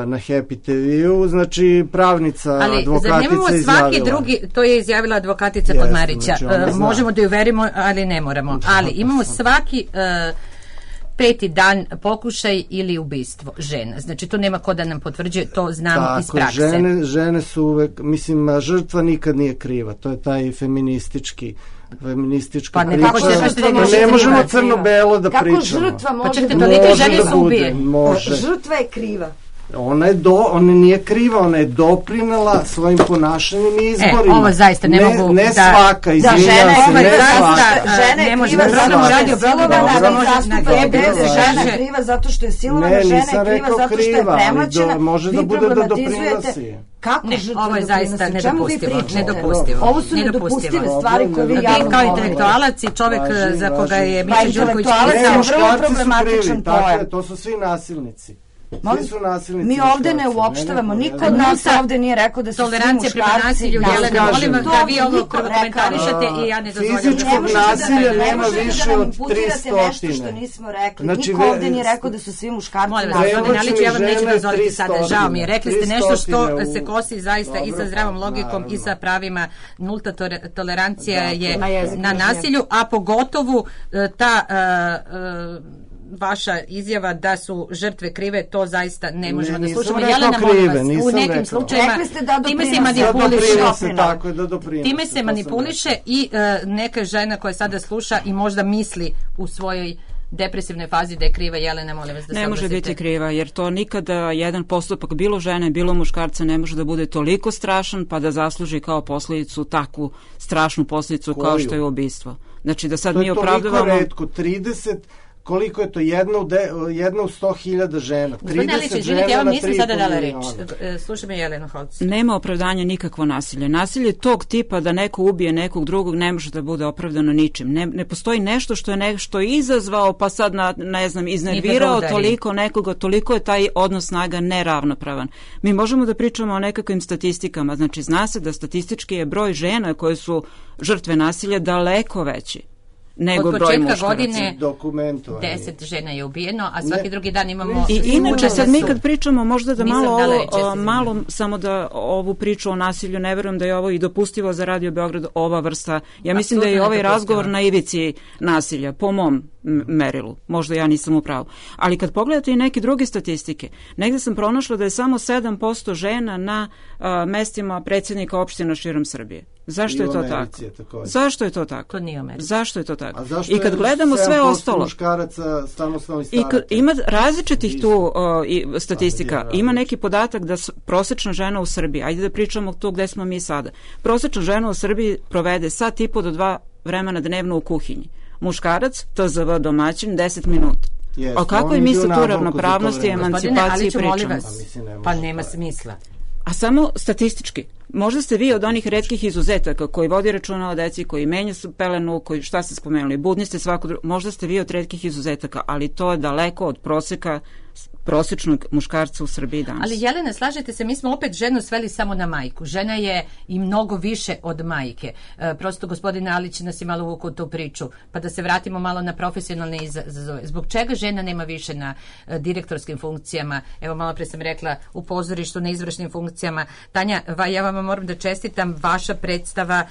na Happy TV-u, znači pravnica, advokatica izjavila. To je izjavila advokatica kod Marića. Znači možemo da ju verimo, ali ne moramo. Ali imamo svaki peti dan pokušaj ili ubistvo žena. Znači to nema ko da nam potvrđuje, to znamo iz prakse. Žene su uvek, mislim, žrtva nikad nije kriva. To je taj feministička priča. Ne možemo crno-belo da pričamo. Kako žrtva može da bude? Tolike žene su ubije. Žrtva je kriva. Ona nije kriva, ona je doprinela svojim ponašanjem i izborima. Ovo zaista ne mogu ne svaka, izvinjam se, ne svaka. Žena je kriva zato što je silovana, žena je kriva zato što je premoćena, može da bude da doprinosi. Ovo je zaista nedopustivo. Ovo su nedopustive stvari koje vi javno kao intelektualac i čovek za koga je Miša Đurković pisao. To su svi nasilnici. Mi ovde ne uopštavamo, niko od nas ovde nije rekao da su svi muškarci. Jelena, molim vas da vi ovo komentarišete i ja ne dozvoljam. Fizičkog nasilja nema više od 300. Nešto što nismo rekli. Niko ovde nije rekao da su svi muškarci. Molim vas, gospodine Aliću, ja vam neću dozvoliti sada, žao mi je. Rekli ste nešto što se kosi zaista i sa zdravom logikom i sa pravima. Nulta tolerancija je na nasilju, a pogotovo ta vaša izjava da su žrtve krive, to zaista ne možemo da Nisam slušamo. rekao Jelena, krive, molim vas, nisam u nekim rekao. slučajevima Rekli ste da time se doprinose. manipuliše. Tako je, da doprinose. Time se manipuliše i neka žena koja sada sluša i možda misli u svojoj depresivnoj fazi da je kriva. Jelena, molim vas da se Ne može obrazite. biti kriva, jer to nikada jedan postupak bilo žene, bilo muškarca ne može da bude toliko strašan pa da zasluži kao posljedicu takvu strašnu posljedicu kao što je ubistvo. Znači da sad mi opravdavamo... To je toliko retko, 30, koliko je to, jedna u 100.000 žena. 30 žena ja vam na nisam 3,5 sada dala reč. miliona. Slušaj me, Jelena Holc. Nema opravdanja nikakvo nasilje. Nasilje tog tipa da neko ubije nekog drugog ne može da bude opravdano ničim. Ne postoji nešto što je nešto izazvao pa sad iznervirao toliko nekoga, toliko je taj odnos snaga neravnopravan. Mi možemo da pričamo o nekakvim statistikama. Znači zna se da statistički je broj žena koje su žrtve nasilja daleko veći nego broj muškaraca. Od početka godine 10 žena je ubijeno, a svaki drugi dan imamo... I inače sad mi kad pričamo možda da malo samo da ovu priču o nasilju, ne verujem da je ovo i dopustivo za Radio Beograd ova vrsta. Ja mislim da je ovaj razgovor na ivici nasilja, po mom merilu. Možda ja nisam u pravu. Ali kad pogledate i neke druge statistike, negde sam pronašla da je samo 7% žena na mestima predsjednika opština širom Srbije. Zašto je to tako? Zašto je to tako? To nije Amerika. Zašto je to tako? I kad gledamo sve ostalo, muškaraca samostalno i i ima različitih tu statistika. Ima neki podatak da prosečna žena u Srbiji, ajde da pričamo tu gde smo mi sada, prosečna žena u Srbiji provede 1,5 do 2 vremena dnevno u kuhinji. Muškarac, TZV domaćin, 10 minuta. O kakvoj mi se tu ravnopravnosti i emancipaciji pričamo? Pa nema smisla. A samo statistički. Možda ste vi od onih retkih izuzetaka koji vodi računa o deci, koji menja pelenu, koji šta ste spomenuli, budni ste svako drugo, možda ste vi od retkih izuzetaka, ali to je daleko od proseka prosječnog muškarca u Srbiji danas. Ali Jelena, slažete se, mi smo opet ženu sveli samo na majku. Žena je i mnogo više od majke. Prosto gospodin Alić nas je malo uvukao u tu priču. Pa da se vratimo malo na profesionalne izazove. Zbog čega žena nema više na direktorskim funkcijama? Evo, malo pre sam rekla u pozorištu, na izvršnim funkcijama. Tanja, ja vam moram da čestitam, vaša predstava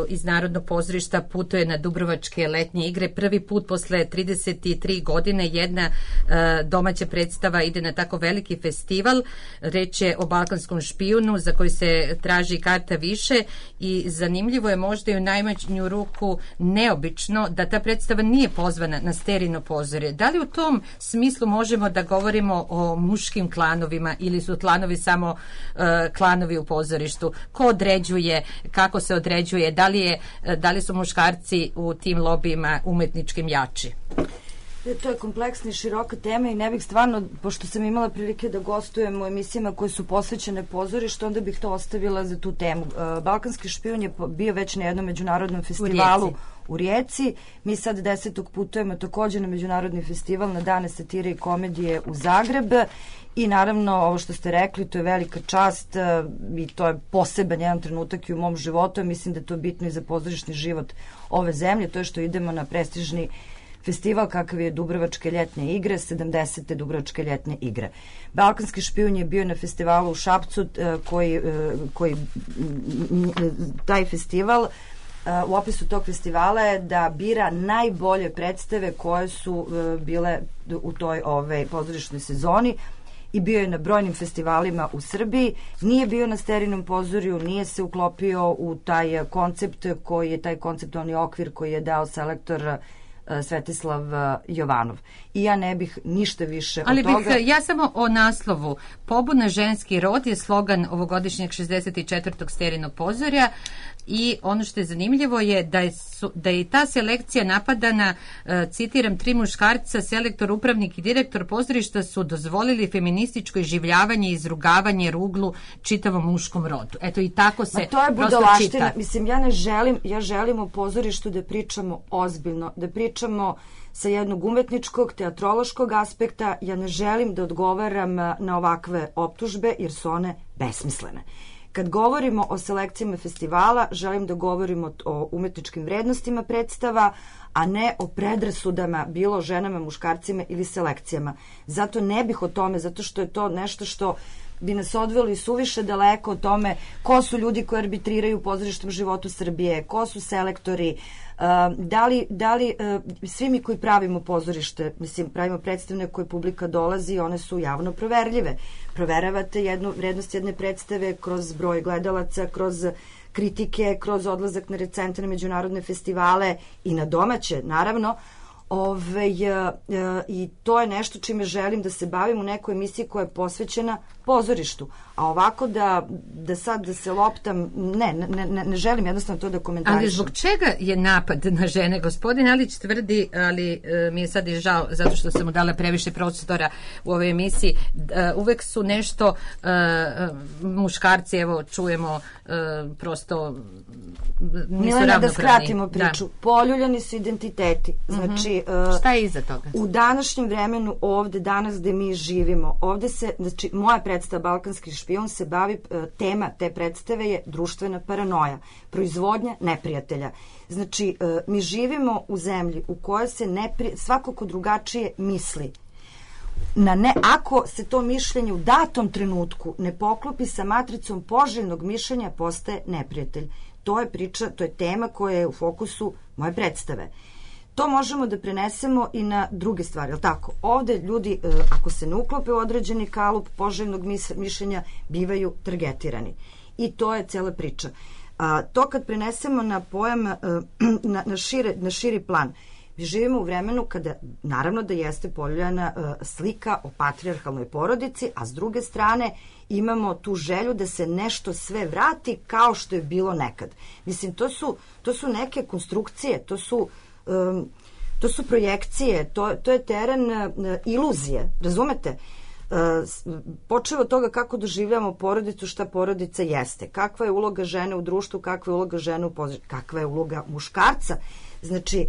iz Narodnog pozorišta putuje na Dubrovačke letnje igre. Prvi put posle 33 godine jedna domaća predstava ide na tako veliki festival. Reč je o Balkanskom špijunu za koji se traži karta više i zanimljivo je možda i u najmanju ruku neobično da ta predstava nije pozvana na Sterino pozorje. Da li u tom smislu možemo da govorimo o muškim klanovima ili su klanovi samo klanovi u pozorištu? Ko određuje, kako se određuje, da li su muškarci u tim lobijima umetničkim jači? To je kompleksna i široka tema i ne bih stvarno, pošto sam imala prilike da gostujem u emisijama koje su posvećene pozorištu, onda bih to ostavila za tu temu. Balkanski špijun je bio već na jednom međunarodnom festivalu u Rijeci. Mi sad 10. putujemo također na međunarodni festival na Dane satire i komedije u Zagreb. I naravno, ovo što ste rekli, to je velika čast i to je poseban jedan trenutak i u mom životu. Mislim da je to bitno i za pozorišni život ove zemlje. To je što idemo na prestižni festival kakav je Dubrovačke ljetne igre, 70. Dubrovačke ljetne igre. Balkanski špijun je bio na festivalu u Šapcu, koji taj festival, u opisu tog festivala je da bira najbolje predstave koje su bile u toj pozorišnoj sezoni i bio je na brojnim festivalima u Srbiji. Nije bio na Sterinom pozorju, nije se uklopio u taj koncept koji je taj konceptualni okvir koji je dao selektor Svetislav Jovanov. I ja ne bih ništa više od toga. Ali ja samo o naslovu. Pobuna ženski rod je slogan ovogodišnjeg 64. Sterinog pozorja i ono što je zanimljivo je da je ta selekcija napadana, citiram, 3 muškarca, selektor, upravnik i direktor pozorišta su dozvolili feminističko iživljavanje i izrugavanje ruglu čitavom muškom rodu. Eto i tako se to je budalaština. Mislim, ja želim o pozorištu da pričamo ozbiljno, da pričamo sa jednog umetničkog, teatrološkog aspekta. Ja ne želim da odgovaram na ovakve optužbe jer su one besmislene. Kad govorimo o selekcijama festivala, želim da govorimo o umetničkim vrednostima predstava, a ne o predrasudama bilo ženama, muškarcima ili selekcijama. Zato ne bih o tome, zato što je to nešto što bi nas odveli suviše daleko o tome ko su ljudi koji arbitriraju u pozorišnom životu Srbije, ko su selektori, da li svi mi koji pravimo pozorište, mislim, pravimo predstavne koje publika dolazi, one su javno proverljive. Proveravate vrednost jedne predstave kroz broj gledalaca, kroz kritike, kroz odlazak na recentne međunarodne festivale i na domaće, naravno. I to je nešto čime želim da se bavim u nekoj emisiji koja je posvećena pozorištu. A ovako da se loptam, ne želim jednostavno to da komentarišem. Ali zbog čega je napad na žene? Gospodin Alić tvrdi, ali mi je sad i žao zato što sam mu dala previše prostora u ovoj emisiji, uvek su nešto muškarci, evo čujemo, prosto nisu Milena, ravnopravni. da skratimo priču. Da. Poljuljani su identiteti. Znači, šta je iza toga? U današnjem vremenu ovde, danas gde mi živimo, ovde se, znači, moja predstava Balkanski špijun se bavi, tema te predstave je društvena paranoja, proizvodnja neprijatelja. Znači, mi živimo u zemlji u kojoj se svako ko drugačije misli, ako se to mišljenje u datom trenutku ne poklopi sa matricom poželjnog mišljenja, postaje neprijatelj. To je priča, to je tema koja je u fokusu moje predstave. To možemo da prenesemo i na druge stvari, ali tako? Ovde ljudi, ako se ne uklope u određeni kalup poželjnog mišljenja, bivaju targetirani. I to je cela priča. To kad prenesemo na pojam, na širi plan, mi živimo u vremenu kada, naravno da jeste poljuljana slika o patrijarhalnoj porodici, a s druge strane imamo tu želju da se nešto sve vrati kao što je bilo nekad. Mislim, to su neke konstrukcije, to su projekcije, to je teren iluzije, razumete? Počeo od toga kako doživljamo porodicu, šta porodica jeste, kakva je uloga žene u društvu, kakva je uloga žene u pozorištu, kakva je uloga muškarca. Znači,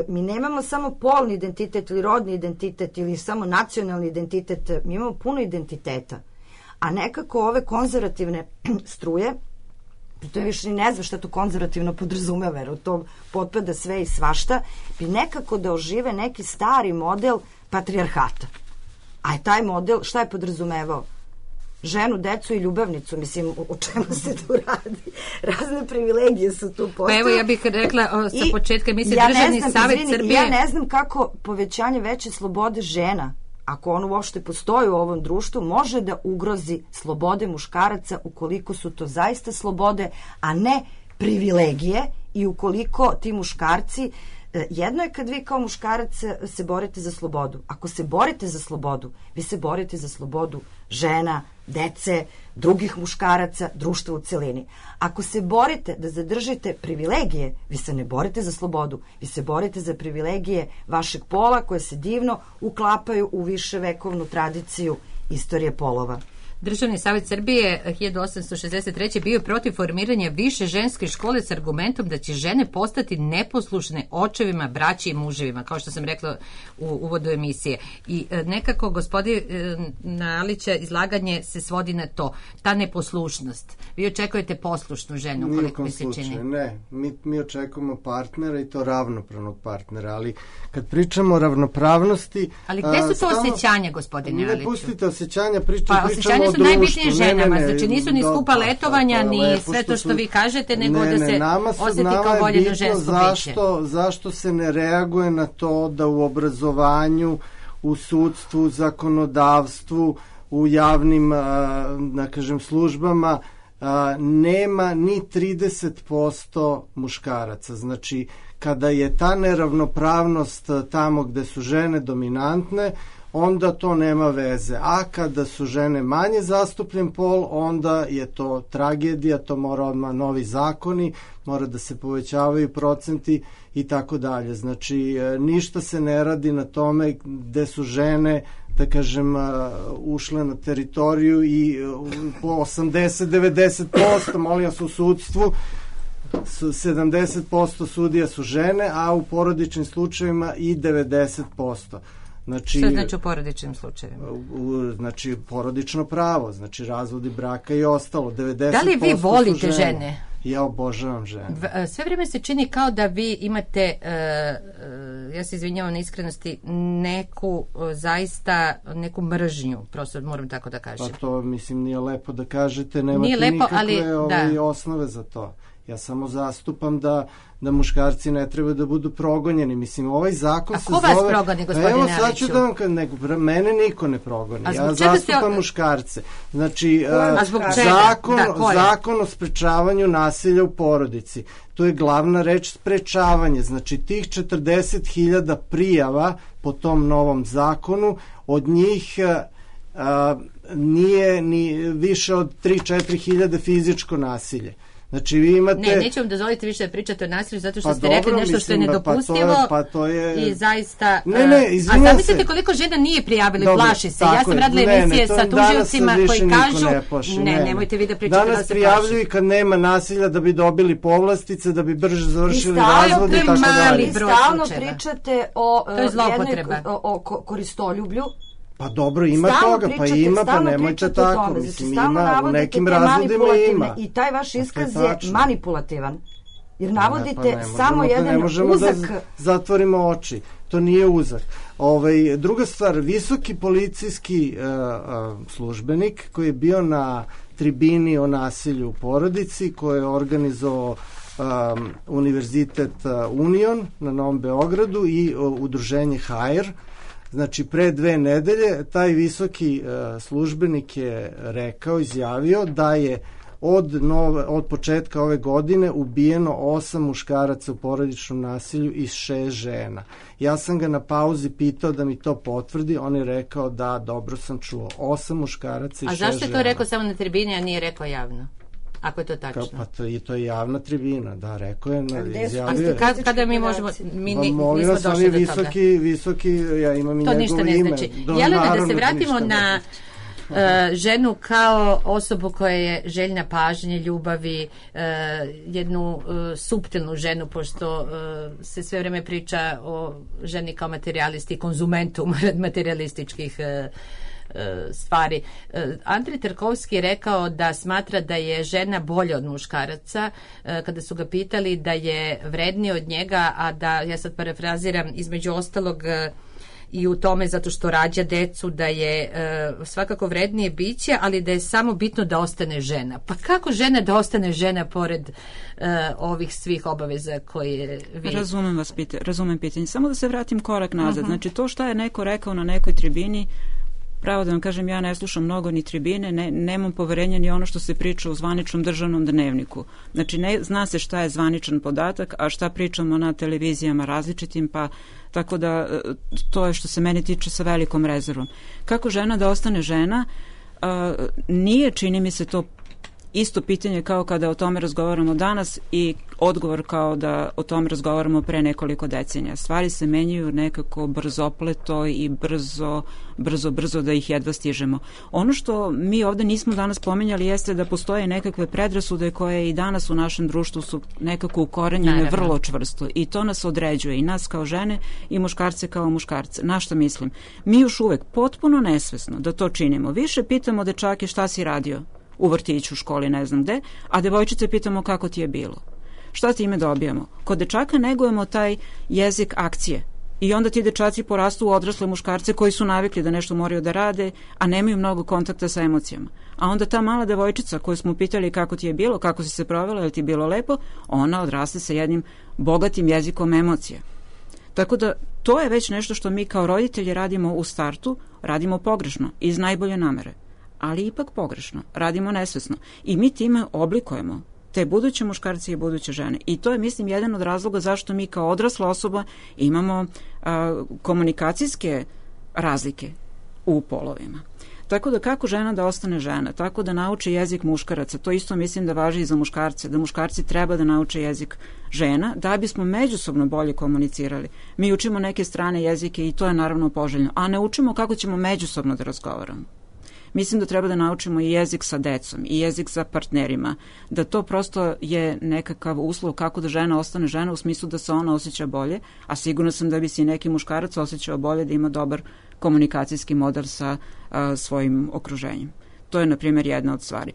mi nemamo samo polni identitet ili rodni identitet ili samo nacionalni identitet, mi imamo puno identiteta. A nekako ove konzervativne struje, to je više ne znam šta to konzervativno podrazumeva, jer u to potpada sve i svašta, bi nekako da ožive neki stari model patrijarhata. A je taj model, šta je podrazumevao? Ženu, decu i ljubavnicu, mislim, o čemu se tu radi? Razne privilegije su tu postoje. Pa evo, ja bih rekla sa početka, mislim, Državni savjet Srbije... Ja ne znam kako povećanje veće slobode žena, ako on uopšte postoji u ovom društvu, može da ugrozi slobode muškaraca ukoliko su to zaista slobode, a ne privilegije, i ukoliko ti muškarci, jedno je kad vi kao muškarac se borite za slobodu. Ako se borite za slobodu, vi se borite za slobodu žena, dece, drugih muškaraca, društva u celini. Ako se borite da zadržite privilegije, vi se ne borite za slobodu, vi se borite za privilegije vašeg pola koje se divno uklapaju u viševekovnu tradiciju istorije polova. Državni savjet Srbije 1863. bio protiv formiranja više ženske škole s argumentom da će žene postati neposlušne očevima, braći i muževima, kao što sam rekla u uvodu emisije. I nekako gospodina Alića izlaganje se svodi na to, ta neposlušnost. Vi očekujete poslušnu ženu, koliko mi se čini? Ne, mi očekujemo partnera i to ravnopravnog partnera, ali kad pričamo o ravnopravnosti... Ali gde su to osjećanja, gospodine Aliću? Ne pustite osjećanja, pričamo su najbitnije ženama, znači nisu ni skupa letovanja, ni sve to što vi kažete, nego da se osjeti kao voljeno žensko biće. Zašto se ne reaguje na to da u obrazovanju, u sudstvu, zakonodavstvu, u javnim, da kažem, službama nema ni 30% muškaraca. Znači, kada je ta neravnopravnost tamo gde su žene dominantne, onda to nema veze. A kada su žene manje zastupljen pol, onda je to tragedija, to mora odmah novi zakoni, mora da se povećavaju procenti i tako dalje. Znači, ništa se ne radi na tome gde su žene, da kažem, ušle na teritoriju i po 80-90%, molim vas, u sudstvu 70% sudija su žene, a u porodičnim slučajevima i 90%. Znači, što znači u porodičnim slučajevima? Znači, porodično pravo, znači razvodi braka i ostalo. 90% da li vi volite žene? Ja obožavam žene. Sve vrijeme se čini kao da vi imate, ja se izvinjavam na iskrenosti, neku mržnju, prosto moram tako da kažem. Pa to, mislim, nije lepo da kažete, nemate nikakve osnove za to. Ja samo zastupam da muškarci ne treba da budu progonjeni. Mislim, ovaj zakon se zove... A ko vas progoni, gospodine Aliću? Evo, sad ću da vam... Mene niko ne progoni. Ja zastupam muškarce. Znači, zakon o sprečavanju nasilja u porodici. To je glavna reč sprečavanje. Znači, tih 40.000 prijava po tom novom zakonu, od njih... nije ni više od 3-4.000 fizičko nasilje. Znači vi imate... neću vam dozvoliti više da pričate o nasilju zato što ste rekli nešto što je nedopustivo i zaista... A zamislite koliko žena nije prijavili, plaši se. Ja sam radila emisije sa tužiocima koji kažu... Nemojte vi da pričate da se plaši. Danas prijavljuju i kad nema nasilja da bi dobili povlastice, da bi brže završili razvod i tako dalje. Vi stalno pričate o koristoljublju. Pa dobro, ima toga, pa nemojte tako, mislim, ima, u nekim razvodima ima. I taj vaš iskaz je manipulativan, jer navodite samo jedan uzak... Ne možemo da zatvorimo oči, to nije uzak. Druga stvar, visoki policijski službenik koji je bio na tribini o nasilju u porodici, koji je organizovao Univerzitet Union na Novom Beogradu i udruženje HR. Znači, pre 2 nedelje taj visoki službenik je izjavio da je od početka ove godine ubijeno 8 muškaraca u porodičnom nasilju i 6 žena. Ja sam ga na pauzi pitao da mi to potvrdi, on je rekao da, dobro sam čuo, 8 muškaraca i 6 žena. A zašto je to rekao samo na tribini, a nije rekao javno? Ako je to tačno. Pa to je javna tribina, da, rekao je, izjavio je. Kada mi možemo, mi nismo došli do toga. Visoki, ja imam i njegovo ime. To ništa ne znači. Jelena, da se vratimo na ženu kao osobu koja je željna pažnje, ljubavi, jednu suptilnu ženu, pošto se sve vrijeme priča o ženi kao materijalisti, konzumentu materijalističkih stvari. Andrej Tarkovski je rekao da smatra da je žena bolja od muškaraca, kada su ga pitali da je vrednija od njega, a da, ja sad parafraziram, između ostalog i u tome zato što rađa decu, da je svakako vrednije biće, ali da je samo bitno da ostane žena. Pa kako žena da ostane žena pored ovih svih obaveza koje vi... Razumem pitanje. Samo da se vratim korak nazad. Znači, to šta je neko rekao na nekoj tribini, pravo da vam kažem, ja ne slušam mnogo ni tribine, nemam poverenja ni ono što se priča u zvaničnom državnom dnevniku. Znači, zna se šta je zvaničan podatak, a šta pričamo na televizijama različitim, pa tako da to je što se meni tiče sa velikom rezervom. Kako žena da ostane žena? Nije, čini mi se, to isto pitanje kao kada o tome razgovaramo danas i odgovor kao da o tome razgovaramo pre nekoliko decenija. Stvari se menjaju nekako brzopleto i brzo da ih jedva stižemo. Ono što mi ovde nismo danas pomenjali jeste da postoje nekakve predrasude koje i danas u našem društvu su nekako ukorenjene vrlo čvrsto i to nas određuje i nas kao žene i muškarce kao muškarce. Na šta mislim? Mi još uvek potpuno nesvesno da to činimo. Više pitamo dečake šta si radio u vrtiću, školi, ne znam gde, a devojčice pitamo kako ti je bilo. Šta time dobijamo? Kod dečaka negujemo taj jezik akcije i onda ti dečaci porastu u odrasle muškarce koji su navikli da nešto moraju da rade, a nemaju mnogo kontakta sa emocijama. A onda ta mala devojčica koju smo pitali kako ti je bilo, kako si se provela, je li ti bilo lepo, ona odraste sa jednim bogatim jezikom emocija. Tako da to je već nešto što mi kao roditelji radimo u startu, radimo pogrešno, iz najbolje namere. Ali ipak pogrešno, radimo nesvesno. I mi time oblikujemo te buduće muškarce i buduće žene. I to je, mislim, jedan od razloga zašto mi kao odrasla osoba imamo komunikacijske razlike u polovima. Tako da kako žena da ostane žena, tako da nauči jezik muškaraca, to isto mislim da važi i za muškarce, da muškarci treba da nauče jezik žena, da bismo međusobno bolje komunicirali. Mi učimo neke strane jezike i to je naravno poželjno, a ne učimo kako ćemo međusobno da razgovaramo. Mislim da treba da naučimo i jezik sa decom i jezik sa partnerima, da to prosto je nekakav uslov kako da žena ostane žena u smislu da se ona osjeća bolje, a sigurno sam da bi se i neki muškarac osjećao bolje da ima dobar komunikacijski model sa svojim okruženjem. To je, na primjer, jedna od stvari.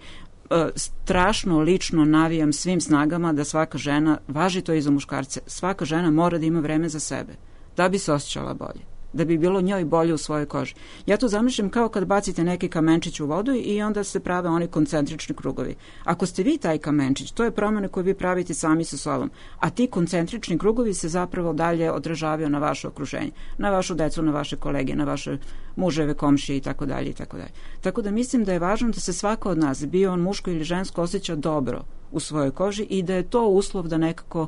strašno lično navijam svim snagama da svaka žena, važi to i za muškarce, svaka žena mora da ima vreme za sebe, da bi se osjećala bolje, da bi bilo njoj bolje u svojoj koži. Ja to zamišljam kao kad bacite neki kamenčić u vodu i onda se prave oni koncentrični krugovi. Ako ste vi taj kamenčić, to je promjena koju vi pravite sami sa sobom, a ti koncentrični krugovi se zapravo dalje odražavaju na vaše okruženje, na vašu decu, na vaše kolege, na vaše muževe, komšije i tako dalje i tako dalje. Tako da mislim da je važno da se svaka od nas, bio on muško ili žensko, osjeća dobro u svojoj koži i da je to uslov da nekako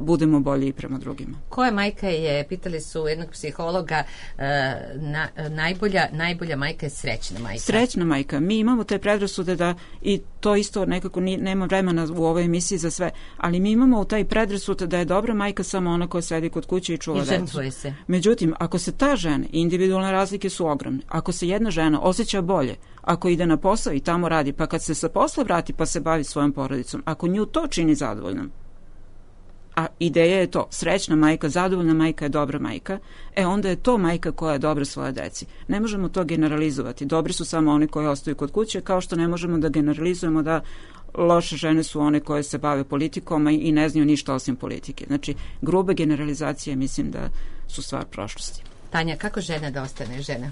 budemo bolji i prema drugima. Koja majka je, pitali su jednog psihologa, najbolja majka je srećna majka. Srećna majka. Mi imamo te predrasude da, i to isto nekako nema vremena u ovoj emisiji za sve, ali mi imamo taj predrasud da je dobra majka samo ona koja sedi kod kuće i čuva decu. I žrtvuje se. Međutim, ako se ta žena, individualne razlike su ogromne, ako se jedna žena osjeća bolje, ako ide na posao i tamo radi, pa kad se sa posla vrati pa se bavi svojom porodicom, ako nju to čini zadovoljnom, a ideja je to, srećna majka, zadovoljna majka je dobra majka, onda je to majka koja je dobra svoje deci. Ne možemo to generalizovati. Dobri su samo oni koji ostaju kod kuće, kao što ne možemo da generalizujemo da loše žene su one koje se bave politikom i ne znaju ništa osim politike. Znači, grube generalizacije mislim da su stvar prošlosti. Tanja, kako žena da ostane žena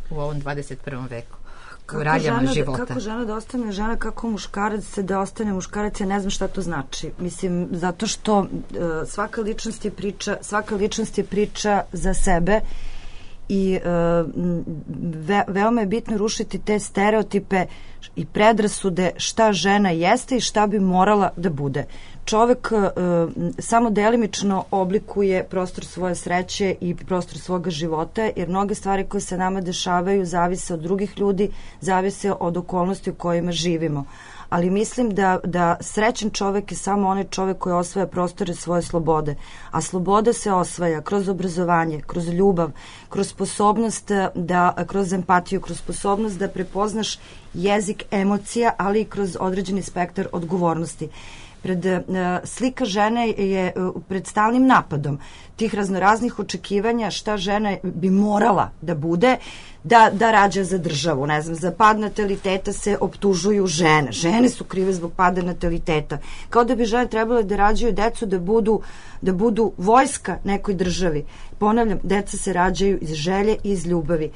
u ovom 21. veku? Kako žena da ostane žena, kako muškarac da ostane muškarac, ja ne znam šta to znači. Mislim, zato što svaka ličnost je priča za sebe i veoma je bitno rušiti te stereotipe i predrasude šta žena jeste i šta bi morala da bude. Čovek samo delimično oblikuje prostor svoje sreće i prostor svoga života, jer mnoge stvari koje se nama dešavaju zavise od drugih ljudi, zavise od okolnosti u kojima živimo. Ali mislim da srećan čovek je samo onaj čovek koji osvaja prostore svoje slobode. A sloboda se osvaja kroz obrazovanje, kroz ljubav, kroz sposobnost kroz empatiju, kroz sposobnost da prepoznaš jezik emocija, ali i kroz određeni spektar odgovornosti. Slika žene je pred stalnim napadom tih raznoraznih očekivanja šta žena bi morala da bude, da rađa za državu. Ne znam, za pad nataliteta se optužuju žene. Žene su krive zbog pada nataliteta. Kao da bi žene trebale da rađaju decu da budu vojska nekoj državi. Ponavljam, deca se rađaju iz želje i iz ljubavi.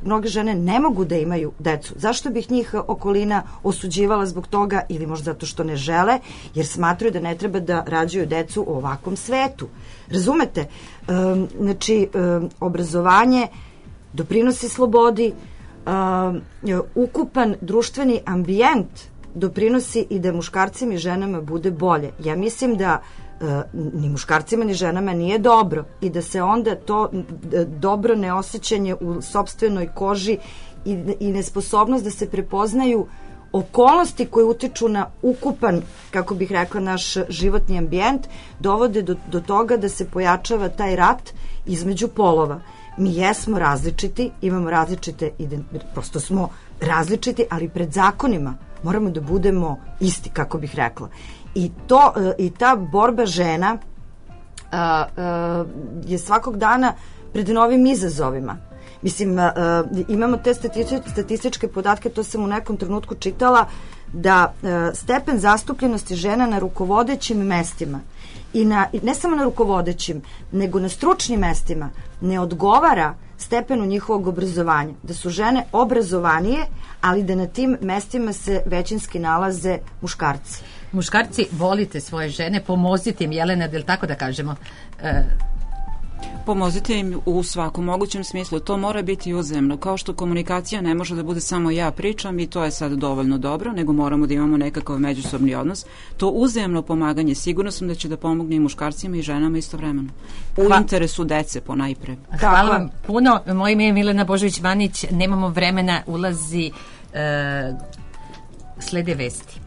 Mnoge žene ne mogu da imaju decu. Zašto bih njih okolina osuđivala zbog toga, ili možda zato što ne žele, jer smatraju da ne treba da rađaju decu u ovakvom svetu. Razumete? Znači, obrazovanje doprinosi slobodi, ukupan društveni ambijent doprinosi i da muškarcima i ženama bude bolje. Ja mislim da ni muškarcima ni ženama nije dobro i da se onda to dobro neosjećanje u sopstvenoj koži i nesposobnost da se prepoznaju okolnosti koje utiču na ukupan, kako bih rekla, naš životni ambijent, dovode do toga da se pojačava taj rat između polova. Mi jesmo različiti, imamo različite, prosto smo različiti, ali pred zakonima moramo da budemo isti, kako bih rekla. I ta borba žena je svakog dana pred novim izazovima. Mislim, imamo te statističke podatke, to sam u nekom trenutku čitala, da stepen zastupljenosti žena na rukovodećim mestima i ne samo na rukovodećim, nego na stručnim mestima ne odgovara stepenu njihovog obrazovanja. Da su žene obrazovanije, ali da na tim mestima se većinski nalaze muškarci. Muškarci, volite svoje žene, pomozite im, Jelena, da li tako da kažemo? Pomozite im u svakom mogućem smislu. To mora biti uzajamno. Kao što komunikacija ne može da bude samo ja pričam i to je sad dovoljno dobro, nego moramo da imamo nekakav međusobni odnos. To uzajamno pomaganje, sigurno sam da će da pomogne i muškarcima i ženama istovremeno. U interesu dece ponajpre. Hvala vam puno. Moje ime je Milena Božović-Vanić. Nemamo vremena, ulazi slede vesti.